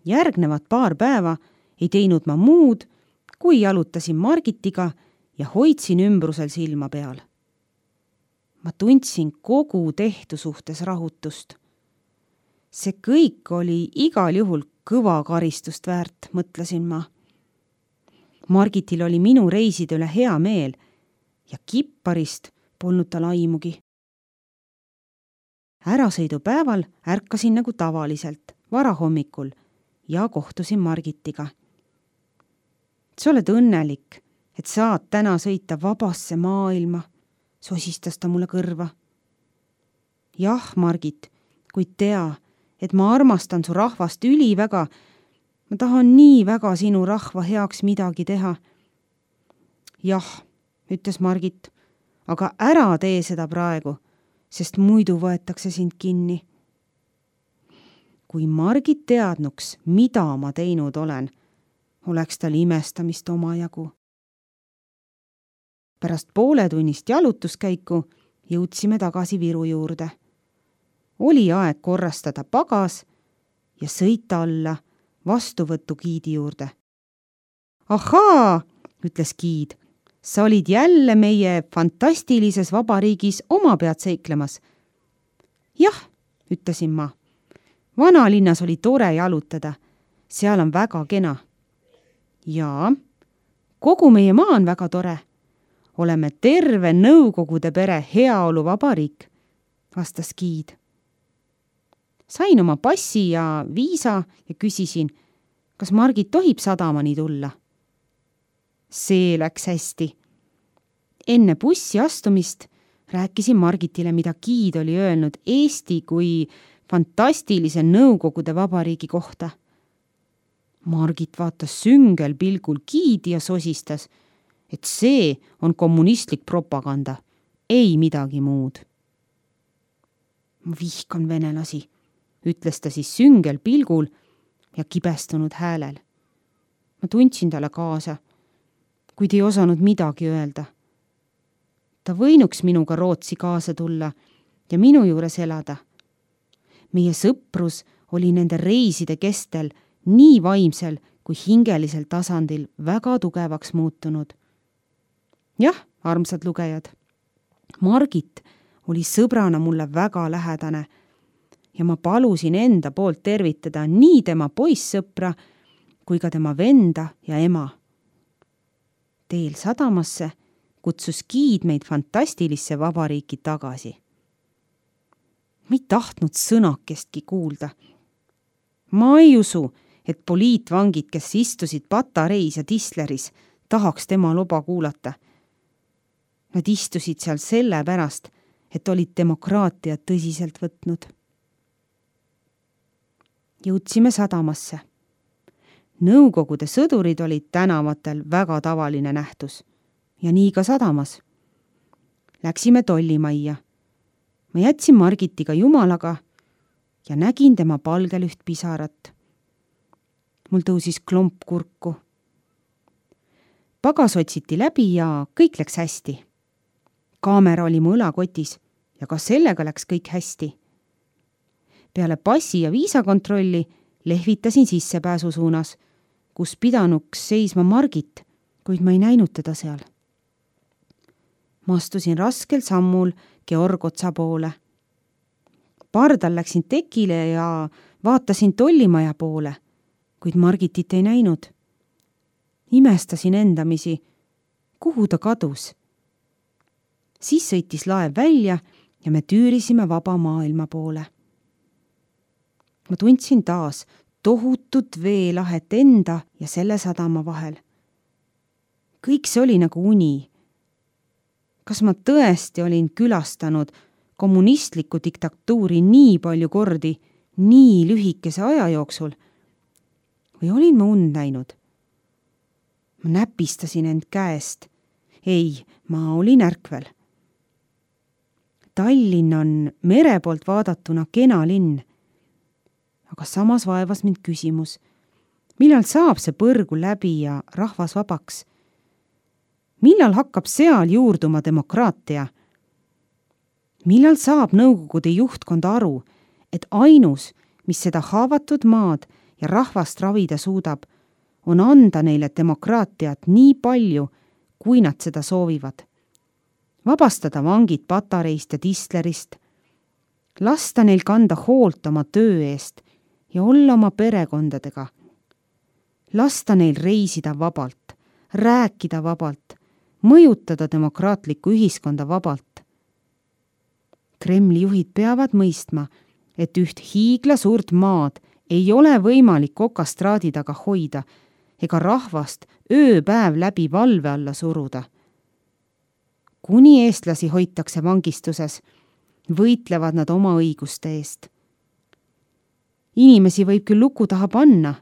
Järgnevad 2 päeva ei teinud ma muud, kui jalutasin Margitiga ja hoidsin ümbrusel silma peal. Ma tundsin kogu tehtu suhtes rahutust. See kõik oli igal juhul kõva karistust väärt, mõtlesin ma. Margitil oli minu reiside üle hea meel ja kipparist polnud tal aimugi. Ärasõidupäeval ärkasin nagu tavaliselt, varahommikul ja kohtusin Margitiga. Sa oled õnnelik, et saad täna sõita vabasse maailma, sosistas ta mulle kõrva. Jah, Margit, kuid tea, et ma armastan su rahvast üliväga. Ma tahan nii väga sinu rahva heaks midagi teha. Jah, ütles Margit, aga ära tee seda praegu, sest muidu võetakse sind kinni. Kui Margit teadnuks, mida ma teinud olen, oleks tal imestamist omajagu. Pärast pooletunnist jalutuskäiku jõudsime tagasi Viru juurde. Oli aeg korrastada pagas ja sõita alla vastuvõttu giidi juurde. Ahaa, ütles giid, sa olid jälle meie fantastilises vabariigis oma pead seiklemas. Jah, ütlesin ma. Vanalinnas oli tore jalutada, seal on väga kena. Jaa, kogu meie maa on väga tore. Oleme terve Nõukogude pere heaolu vabariik, vastas giid. Sain oma passi ja viisa ja küsisin, kas Margit tohib sadamani tulla. See läks hästi. Enne bussi astumist rääkisin Margitile, mida giid oli öelnud Eesti kui fantastilise Nõukogude vabariigi kohta. Margit vaatas süngel pilgul giidi ja sosistas, et see on kommunistlik propaganda, ei midagi muud. Ma vihkan venelasi, ütles ta siis süngel pilgul ja kibestunud häälel. Ma tundsin talle kaasa, kuid ei osanud midagi öelda. Ta võinuks minuga Rootsi kaasa tulla ja minu juures elada. Meie sõprus oli nende reiside kestel nii vaimsel kui hingelisel tasandil väga tugevaks muutunud. Jah, armsad lugejad, Margit oli sõbrana mulle väga lähedane ja ma palusin enda poolt tervitada nii tema poissõpra kui ka tema venda ja ema. Teel sadamasse kutsus giid meid fantastilisse vabariiki tagasi. Ma ei tahtnud sõnakestki kuulda. Ma ei usu, et poliitvangid, kes istusid Patareis ja Tisleris, tahaks tema loba kuulata. Nad istusid seal sellepärast, et olid demokraatiat tõsiselt võtnud. Jõudsime sadamasse. Nõukogude sõdurid olid tänavatel väga tavaline nähtus ja nii ka sadamas. Läksime tollimajja. Ma jätsin Margitiga jumalaga ja nägin tema palgel üht pisarat. Mul tõusis klomp kurku. Pagas otsiti läbi ja kõik läks hästi. Kaamera oli mu õlakotis ja ka sellega läks kõik hästi. Peale passi ja viisakontrolli lehvitasin sissepääsu suunas, kus pidanuks seisma Margit, kuid ma ei näinud teda seal. Ma astusin raskel sammul Georg Otsa poole. Pardal läksin tekile ja vaatasin tollimaja poole, kuid Margitit ei näinud. Imestasin endamisi, kuhu ta kadus. Siis sõitis laev välja ja me tüürisime vaba maailma poole. Ma tundsin taas tohutut veelahet enda ja selle sadama vahel. Kõik see oli nagu uni. Kas ma tõesti olin külastanud kommunistlikku diktatuuri nii palju kordi, nii lühikese aja jooksul? Või olin ma und näinud? Ma näpistasin end käest. Ei, ma olin ärkvel. Tallinn on mere poolt vaadatuna kena linn. Aga samas vaevas mind küsimus, millal saab see põrgu läbi ja rahvas vabaks? Millal hakkab seal juurduma demokraatia? Millal saab Nõukogude juhtkond aru, et ainus, mis seda haavatud maad ja rahvast ravida suudab, on anda neile demokraatiat nii palju, kui nad seda soovivad. Vabastada vangid Patareist ja Tistlerist, lasta neil kanda hoolt oma töö eest ja olla oma perekondadega. Lasta neil reisida vabalt, rääkida vabalt, mõjutada demokraatlikku ühiskonda vabalt. Kremli juhid peavad mõistma, et üht hiigla suurt maad ei ole võimalik okastraadi taga hoida ega rahvast ööpäev läbi valve alla suruda. Kuni eestlasi hoitakse vangistuses, võitlevad nad oma õiguste eest. Inimesi võib küll luku taha panna,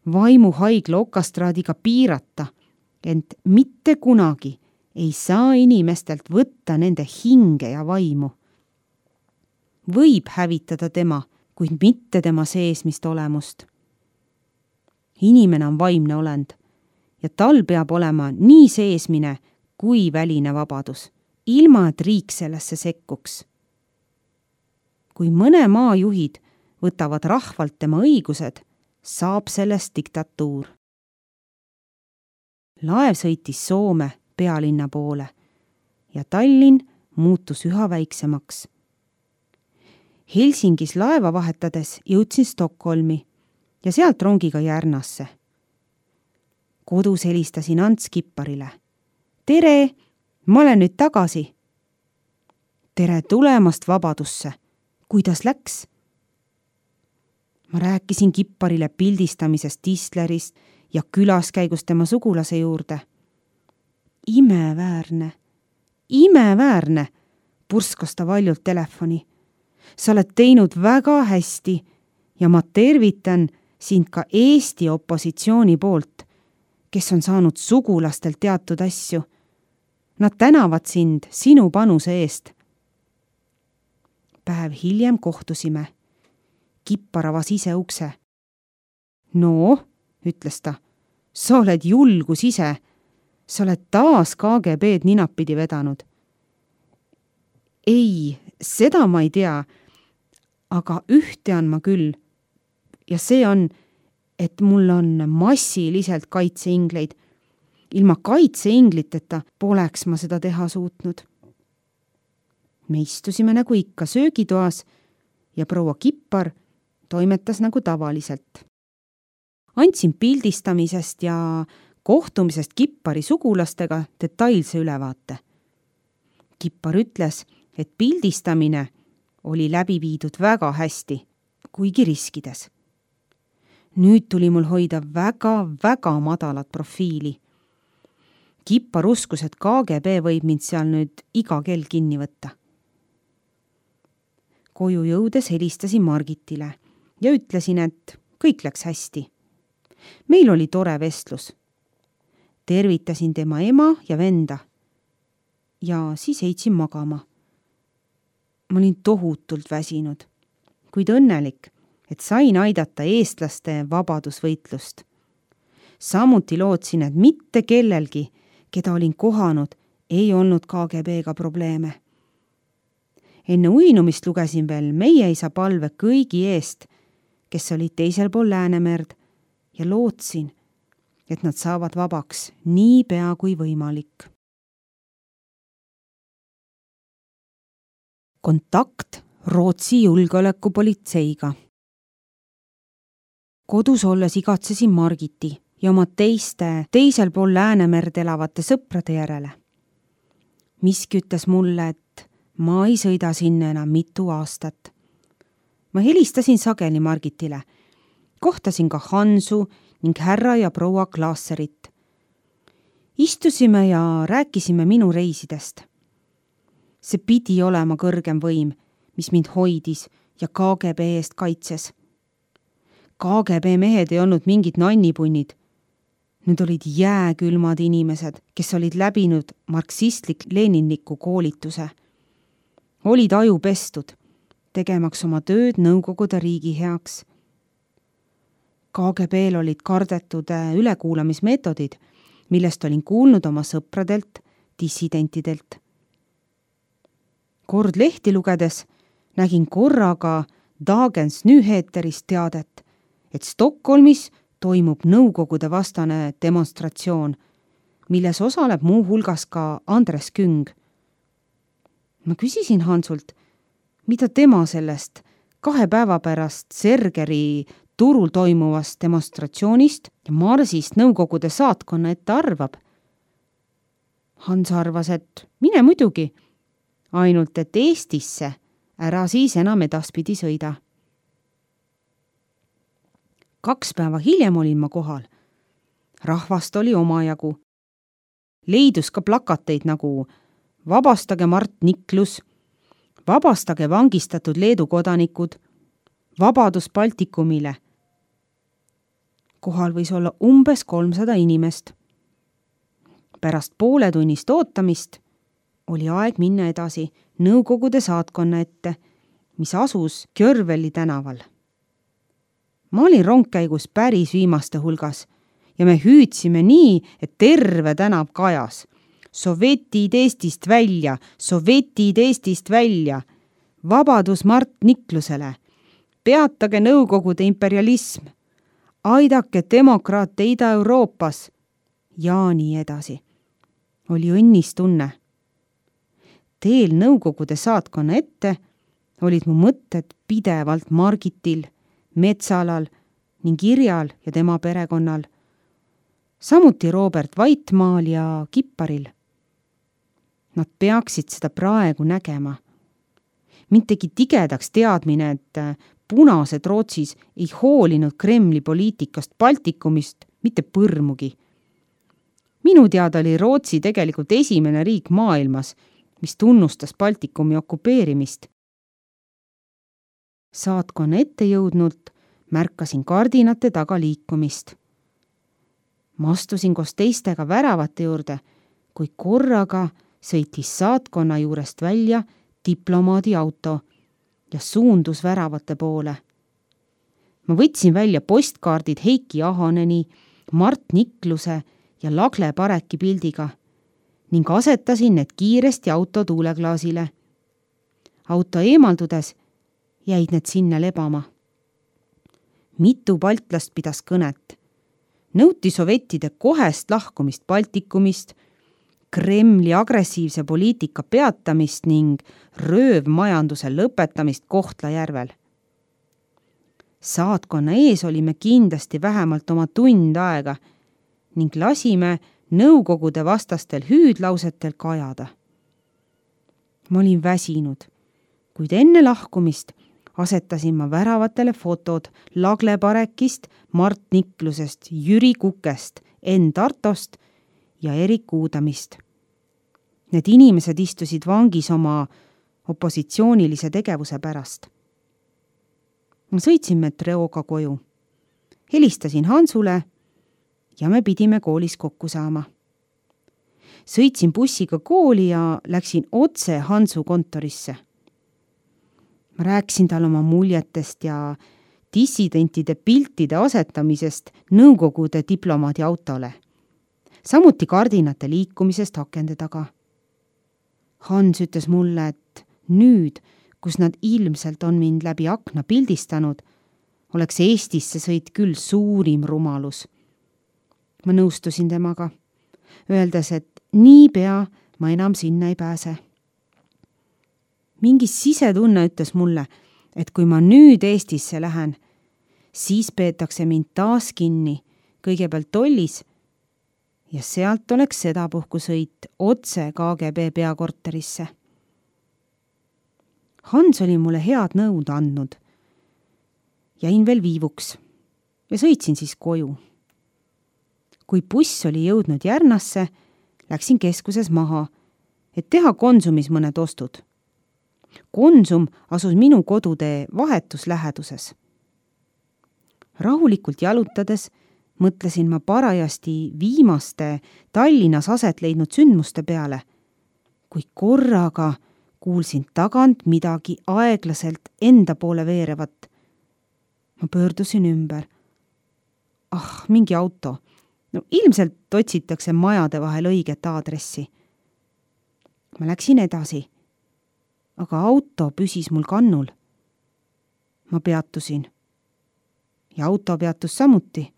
vaimuhaigla okastraadiga piirata, ent mitte kunagi ei saa inimestelt võtta nende hinge ja vaimu. Võib hävitada tema, kuid mitte tema seesmist olemust. Inimene on vaimne olend ja tal peab olema nii seesmine kui väline vabadus, ilma et riik sellesse sekkuks. Kui mõne maa juhid võtavad rahvalt tema õigused, saab sellest diktatuur. Laev sõitis Soome pealinna poole ja Tallinn muutus üha väiksemaks. Helsingis laeva vahetades jõudsin Stockholmi ja sealt rongiga Järnasse. Kodus helistasin Ants Kipparile. Tere, ma olen nüüd tagasi. Tere tulemast vabadusse. Kuidas läks? Ma rääkisin Kipparile pildistamisest Tistlerist ja külaskäigust tema sugulase juurde. Imeväärne, purskas ta valjult telefoni. Sa oled teinud väga hästi ja ma tervitan sind ka Eesti opositsiooni poolt, kes on saanud sugulastelt teatud asju. Nad tänavad sind sinu panuse eest. Päev hiljem kohtusime. Kippar avas ise ukse. No, ütles ta, sa oled julgus ise. Sa oled taas KGB-d ninapidi vedanud. Ei, seda ma ei tea, aga üht tean ma küll. Ja see on, et mul on massiliselt kaitseingleid. Ilma kaitseingliteta poleks ma seda teha suutnud. Me istusime nagu ikka söögitoas ja proua Kippar toimetas nagu tavaliselt. Andsin pildistamisest ja kohtumisest Kippari sugulastega detailse ülevaate. Kippar ütles, et pildistamine oli läbi viidud väga hästi, kuigi riskides. Nüüd tuli mul hoida väga madalat profiili. Kippar uskus, et KGB võib mind seal nüüd iga kell kinni võtta. Koju jõudes helistasin Margitile ja ütlesin, et kõik läks hästi. Meil oli tore vestlus. Tervitasin tema ema ja venda ja siis heitsin magama. Ma olin tohutult väsinud, kuid õnnelik, et sain aidata eestlaste vabadusvõitlust. Samuti lootsin, et mitte kellelgi, keda olin kohanud, ei olnud KGB-ga probleeme. Enne uinumist lugesin veel meie isa palve kõigi eest, kes olid teisel pool Läänemerd ja lootsin, et nad saavad vabaks nii pea kui võimalik. Kontakt Rootsi julgeolekupolitseiga. Kodus olles igatsesin Margiti ja oma teisel pool Läänemerd elavate sõprade järele. Miski ütles mulle, et ma ei sõida sinna enam mitu aastat. Ma helistasin sageli Margitile. Kohtasin ka Hansu ning härra ja proua Klaaserit. Istusime ja rääkisime minu reisidest. See pidi olema kõrgem võim, mis mind hoidis ja KGB eest kaitses. KGB mehed ei olnud mingid nannipunnid. Need olid jääkülmad inimesed, kes olid läbinud marksistlik-leninliku koolituse. Olid ajupestud, tegemaks oma tööd Nõukogude riigi heaks. KGB-l olid kardetud ülekuulamismeetodid, millest olin kuulnud oma sõpradelt, dissidentidelt. Kord lehti lugedes nägin korraga Dagens Nyheterist teadet, et Stockholmis toimub nõukogude vastane demonstratsioon, milles osaleb muu hulgas ka Andres Küng. Ma küsisin Hansult, mida tema sellest 2 päeva pärast Sergeri turul toimuvast demonstratsioonist ja marsist nõukogude saatkonna ette arvab. Hans arvas, et mine muidugi, ainult et Eestisse ära siis enam edaspidi sõida. 2 päeva hiljem olin ma kohal. Rahvast oli omajagu. Leidus ka plakateid nagu vabastage Mart Niklus, vabastage vangistatud Leedu kodanikud, vabadus Baltikumile. Kohal võis olla umbes 300 inimest. Pärast pooletunnist ootamist oli aeg minna edasi nõukogude saatkonna ette, mis asus Kjörveli tänaval. Ma olin rongkäigus päris viimaste hulgas ja me hüüdsime nii, et terve tänav kajas. Sovetid Eestist välja, sovetid Eestist välja, vabadus Mart Niklusele, peatage nõukogude imperialism, aidake demokraate Ida-Euroopas ja nii edasi. Oli õnnistunne. Teel nõukogude saatkonna ette olid mu mõtted pidevalt Margitil, Metsalal ning Irjal ja tema perekonnal, samuti Robert Vaitmaal ja Kipparil. Nad peaksid seda praegu nägema. Mind tegi tigedaks teadmine, et punased Rootsis ei hoolinud Kremli poliitikast Baltikumist mitte põrmugi. Minu teada oli Rootsi tegelikult esimene riik maailmas, mis tunnustas Baltikumi okupeerimist. Saatkonna ette jõudnult märkasin kardinate taga liikumist. Ma astusin koos teistega väravate juurde, kui korraga sõitis saatkonna juurest välja diplomaadi auto ja suundus väravate poole. Ma võtsin välja postkaardid Heiki Ahoneni, Mart Nikluse ja Lagle Pareki pildiga ning asetasin need kiiresti auto tuuleklaasile. Auto eemaldudes jäid need sinna lebama. Mitu baltlast pidas kõnet. Nõuti sovetide kohest lahkumist Baltikumist, Kremli agressiivse poliitika peatamist ning röövmajanduse lõpetamist Kohtla-Järvel. Saatkonna ees olime kindlasti vähemalt oma tund aega ning lasime nõukogude vastastel hüüdlausetel kajada. Ma olin väsinud, kuid enne lahkumist asetasin ma väravatele fotod Lagle Parekist, Mart Niklusest, Jüri Kukest, Enn Tartost ja Erik Uudamist. Need inimesed istusid vangis oma opositsioonilise tegevuse pärast. Ma sõitsin metrooga koju. Helistasin Hansule ja me pidime koolis kokku saama. Sõitsin bussiga kooli ja läksin otse Hansu kontorisse. Ma rääkisin tal oma muljetest ja dissidentide piltide asetamisest nõukogude diplomaadi autole. Samuti kardinate liikumisest akende taga. Hans ütles mulle, et nüüd, kus nad ilmselt on mind läbi akna pildistanud, oleks Eestisse sõit küll suurim rumalus. Ma nõustusin temaga, öeldes, et niipea ma enam sinna ei pääse. Mingi sisetunne ütles mulle, et kui ma nüüd Eestisse lähen, siis peetakse mind taas kinni, kõigepealt tollis, ja sealt oleks sedapuhku sõit otse KGB peakorterisse. Hans oli mulle head nõud andnud. Jäin veel viivuks ja sõitsin siis koju. Kui buss oli jõudnud Järnasse, läksin keskuses maha, et teha Konsumis mõned ostud. Konsum asus minu kodutee vahetus läheduses. Rahulikult jalutades mõtlesin ma parajasti viimaste Tallinnas aset leidnud sündmuste peale, kui korraga kuulsin tagant midagi aeglaselt enda poole veerevat. Ma pöördusin ümber. Mingi auto. Ilmselt otsitakse majade vahel õiget aadressi. Ma läksin edasi, aga auto püsis mul kannul. Ma peatusin ja auto peatus samuti.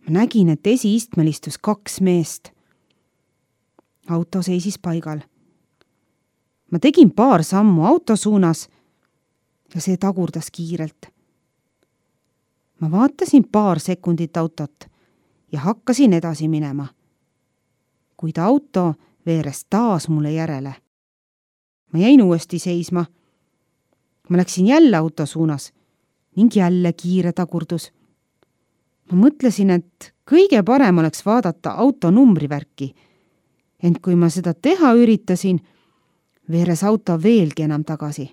Ma nägin, et esiistmel istus 2 meest. Auto seisis paigal. Ma tegin paar sammu auto suunas ja see tagurdas kiirelt. Ma vaatasin paar sekundit autot ja hakkasin edasi minema. Kuid auto veeres taas mulle järele. Ma jäin uuesti seisma. Ma läksin jälle auto suunas ning jälle kiire tagurdus. Ma mõtlesin, et kõige parem oleks vaadata auto numbrivärki. Ent kui ma seda teha üritasin, veeres auto veelgi enam tagasi.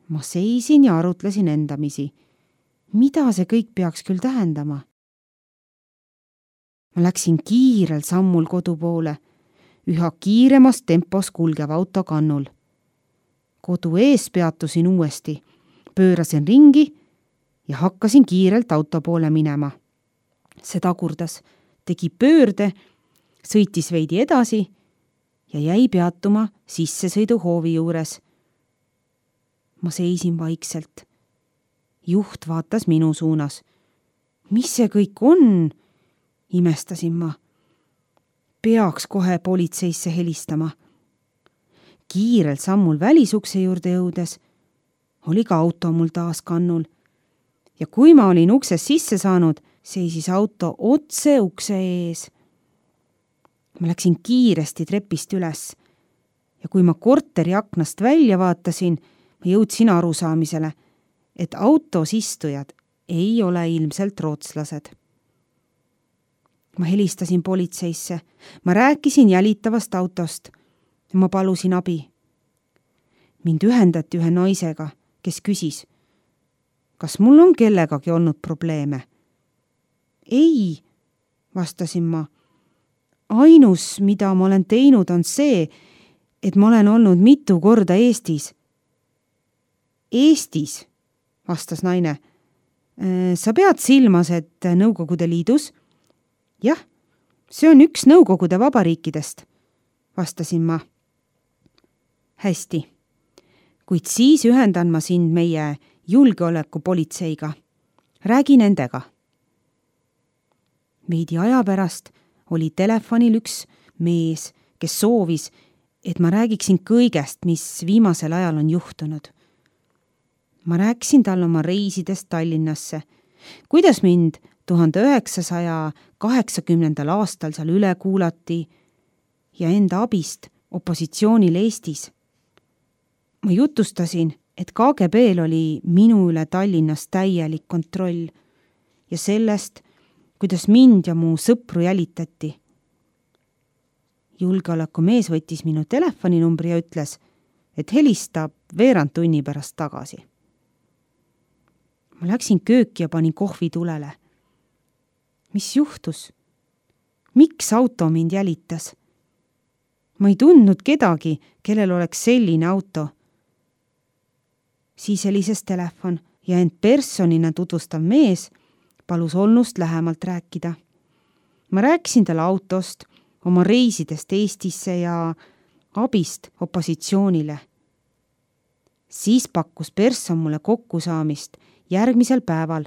Ma seisin ja arutlesin endamisi. Mida see kõik peaks küll tähendama? Ma läksin kiirel sammul kodu poole, üha kiiremas tempos kulgev auto kannul. Kodu ees peatusin uuesti, pöörasin ringi ja hakkasin kiirelt auto poole minema. See tagurdas, tegi pöörde, sõitis veidi edasi ja jäi peatuma sissesõiduhoovi juures. Ma seisin vaikselt. Juht vaatas minu suunas. Mis see kõik on? Imestasin ma. Peaks kohe politseisse helistama. Kiirelt sammul välisukse juurde jõudes oli ka auto mul taas kannul. Ja kui ma olin uksest sisse saanud, seisis auto otse ukse ees. Ma läksin kiiresti trepist üles ja kui ma korteri aknast välja vaatasin, ma jõudsin arusaamisele, et autos istujad ei ole ilmselt rootslased. Ma helistasin politseisse, ma rääkisin jälitavast autost ja ma palusin abi. Mind ühendati ühe naisega, kes küsis, kas mul on kellegagi olnud probleeme? Ei, vastasin ma. Ainus, mida ma olen teinud, on see, et ma olen olnud mitu korda Eestis. Eestis, vastas naine. Sa pead silmas, et Nõukogude Liidus? Jah, see on üks Nõukogude vabariikidest, vastasin ma. Hästi, kuid siis ühendan ma sind meie julgeolekupolitseiga. Räägi nendega. Veidi aja pärast oli telefonil üks mees, kes soovis, et ma räägiksin kõigest, mis viimasel ajal on juhtunud. Ma rääkisin talle oma reisidest Tallinnasse, kuidas mind 1980. aastal seal üle kuulati ja enda abist opositsioonil Eestis. Ma jutustasin, et KGB-l oli minu üle Tallinnas täielik kontroll ja sellest, kuidas mind ja mu sõpru jälitati. Julgeolekumees võttis minu telefoninumbri ja ütles, et helistab veerand tunni pärast tagasi. Ma läksin kööki ja panin kohvi tulele. Mis juhtus? Miks auto mind jälitas? Ma ei tundnud kedagi, kellel oleks selline auto. Siis helises telefon ja end personina tutvustav mees palus olnust lähemalt rääkida. Ma rääkisin talle autost, oma reisidest Eestisse ja abist opositsioonile. Siis pakkus person mulle kokkusaamist järgmisel päeval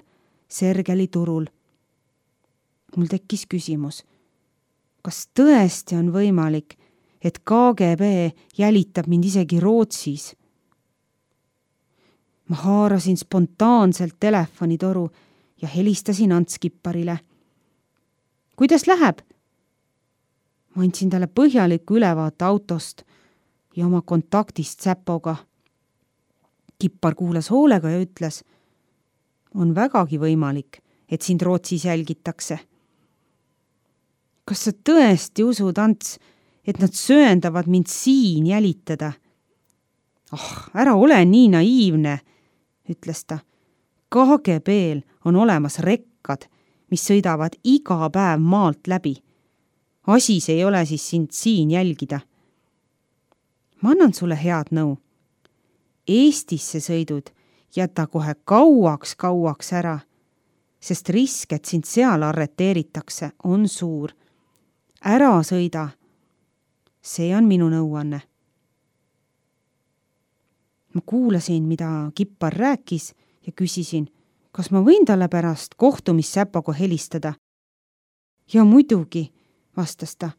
Sergeli turul. Mul tekkis küsimus, kas tõesti on võimalik, et KGB jälitab mind isegi Rootsis? Ma haarasin spontaanselt telefonitoru ja helistasin Ants Kipparile. Kuidas läheb? Ma andsin talle põhjaliku ülevaate autost ja oma kontaktist Säpoga. Kippar kuulas hoolega ja ütles, on vägagi võimalik, et sind Rootsis jälgitakse. Kas sa tõesti usud, Ants, et nad sööndavad mind siin jälitada? Ära ole nii naiivne, ütles ta. KGB-l on olemas rekkad, mis sõidavad iga päev maalt läbi. Asis ei ole siis sind siin jälgida. Ma annan sulle head nõu. Eestisse sõidud jäta kohe kauaks ära, sest risk, et sind seal arreteeritakse, on suur. Ära sõida. See on minu nõuanne. Ma kuulasin, mida Kippar rääkis ja küsisin, kas ma võin talle pärast kohtumissäpaga helistada? Ja muidugi, vastas ta.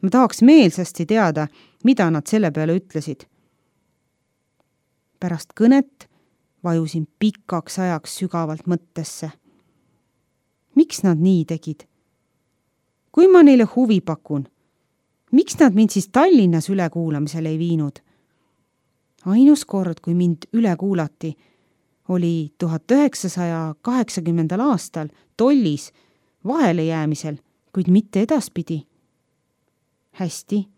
Ma tahaks meelsasti teada, mida nad selle peale ütlesid. Pärast kõnet vajusin pikaks ajaks sügavalt mõttesse. Miks nad nii tegid? Kui ma neile huvi pakun, miks nad mind siis Tallinnas ülekuulamisele ei viinud? Ainus kord, kui mind üle kuulati, oli 1980. aastal tollis vahelejäämisel, kuid mitte edaspidi. Hästi,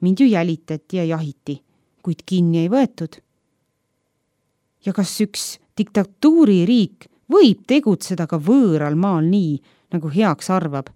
mind ju jälitati ja jahiti, kuid kinni ei võetud. Ja kas üks diktatuuririik võib tegutseda ka võõral maal nii, nagu heaks arvab?